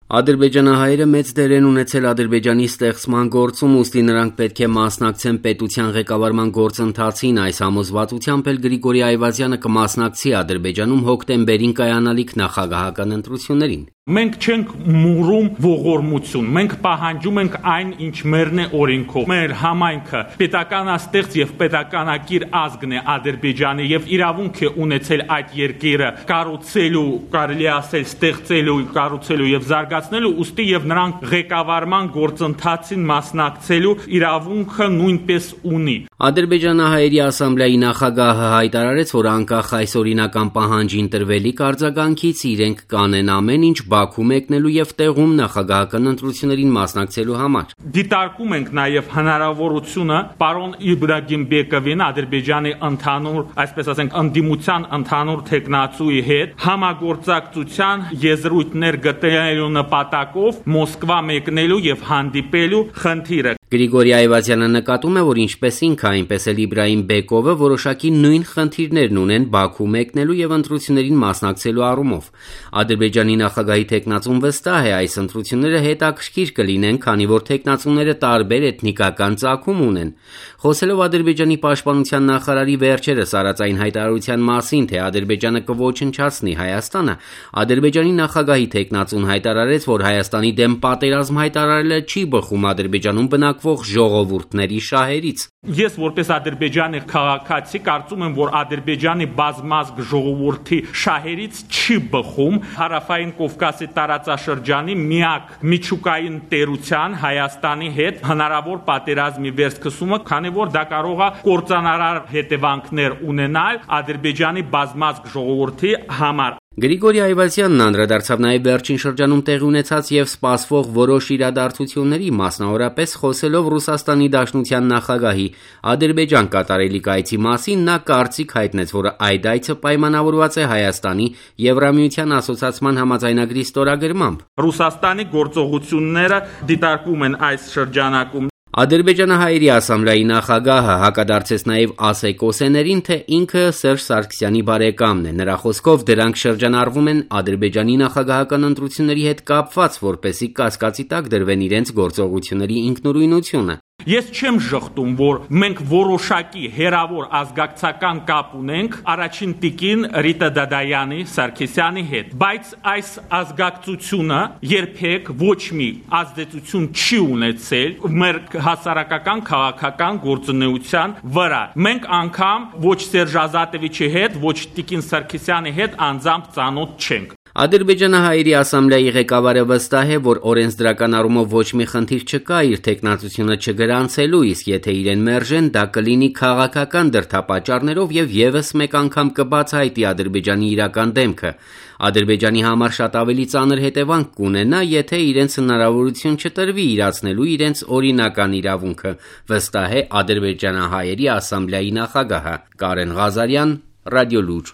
Ադրբեջանահայերը մեծ դեր են ունեցել Ադրբեջանի ստեղծման գործում, ուստի նրանք պետք է մասնակցեն պետության ղեկավարման գործընթացին, այս համոզվածությամբ էլ Գրիգորի Այվազյանը կմասնակցի Ադրբեջանում հոկտեմբերին կայանալիք նախագահական ընտրություններին։ Մենք չենք մուրում ողորմություն, մենք պահանջում ենք այն, ինչ մերն է օրենքով։ Մեր համայնքը պետականաստեղծ եւ պետականակիր ազգն է Ադրբեջանի եւ իրավունք է ունեցել այդ երկիրը կառուցելու, կարելի ասել ստեղծելու, կառուցելու եւ զարգացնելու, ուստի եւ նրանք ղեկավարման գործընթացին մասնակցելու իրավունքը նույնպես ունի։ Ադրբեջանահայերի ասամբլեայի նախագահը հայտարարեց, որ անկախ այս օրինական պահանջին տրվելիք արձագանքից իրենք կանեն ամեն ինչ Բաքու մեկնելու եւ տեղում նախագահական ընտրություններին մասնակցելու համար։ Դիտարկում ենք նաեւ հնարավորությունը պարոն Իբրագիմ Բեկովին Ադրբեջանի ընդհանուր, այսպես ասենք, ընդդիմության ընդհանուր տեխնացուի հետ համագործակցության եզրույթներ գտնելու նպատակով Մոսկվա մեկնելու եւ հանդիպելու խնդիրը։ Գրիգորի Այվազյանը նկատում է, որ ինչպես ինքը, այնպես էլ Իբրահիմ Բեկովը որոշակի նույն խնդիրներն ունեն Բաքու մեկնելու եւ ընտրություններին մասնակցելու առումով։ Ադրբեջանի նախագահի տեխնացուն վստահ է, այս ընտրությունները հետաքրքիր կլինեն, քանի որ տեխնացուները տարբեր էթնիկական ծագում ունեն։ Խոսելով Ադրբեջանի պաշտպանության նախարարի վերջերս արած այն հայտարարության մասին, թե Ադրբեջանը կոչնչացնի Հայաստանը, Ադրբեջանի նախագահի տեխնացուն հայտարարեց, որ Հայաստանի դեմ պատերազմ հայտարարելը չի բխում Ադրբեջանում բնակվող ժողովուրդների շահերից։ Ես որպես Ադրբեջանի քաղաքացի կարծում եմ, որ Ադրբեջանի բազմազգ ժողովրդի շահերից չի բխում Հարավային Կովկասի տարածաշրջանի միակ միջուկային տերության Հայաստանի հետ հնարավոր պատերազմի վերսկսումը, քանի որ դա կարող է կործանարար հետևանքներ ունենալ Ադրբեջանի բազմազգ ժողովրդի համար։ Գրիգորի Այվազյանն անդրադարձավ նաև վերջին շրջանում տեղի ունեցած եւ սպասվող որոշ իրադարձությունների, մասնավորապես խոսելով Ռուսաստանի Դաշնության նախագահի Ադրբեջան կատարելիք այցի մասին, նա կարծիք հայտնեց, որ այդ այցը պայմանավորված է Հայաստանի Եվրամիության ասոցիացման համաձայնագրի ստորագրմամբ։ Ռուսաստանի գործողությունները դիտարկվում են այս շրջանակում։ Ադրբեջանահայերի ասամբլեայի նախագահը հակադարձեց նաև ասեկոսեներին, թե ինքը Սերժ Սարգսյանի բարեկամն է։ Նրա խոսքով դրանք շրջանառվում են Ադրբեջանի նախագահական ընտրությունների հետ կապված, որպեսզի կասկածի տակ դրվեն իրենց գործողությունների ինքնուրույնությունը։ Ես չեմ ժխտում, որ մենք որոշակի հերավոր ազգակցական կապ ունենք առաջին տիկին Ռիտա Դադայանի Սարգսյանի հետ, բայց այս ազգակցությունը երբեք ոչ մի ազդեցություն չի ունեցել մեր հասարակական քաղաքական գործունեության վրա։ Մենք անգամ ոչ Սերժ Ազատովիչի հետ, ոչ տիկին Սարգսյանի հետ անձամբ ծանոթ չենք։ Ադրբեջանահայերի ասամբլեայի ղեկավարը վստահ է, որ օրենսդրական առումով ոչ մի խնդիր չկա իր տեխնացությունը չգրանցելու, իսկ եթե իրեն մերժեն, դա կլինի քաղաքական դրդապատճառներով եւ եւս մեկ անգամ կբացահայտի Ադրբեջանի իրական դեմքը։ Ադրբեջանի համար շատ ավելի ծանր հետևանք կունենա, եթե իրենց հնարավորություն չտրվի իրացնելու իրենց օրինական իրավունքը, վստահ է ադրբեջանահայերի ասամբլեայի նախագահը։ Կարեն Ղազարյան, Ռադիոլուր։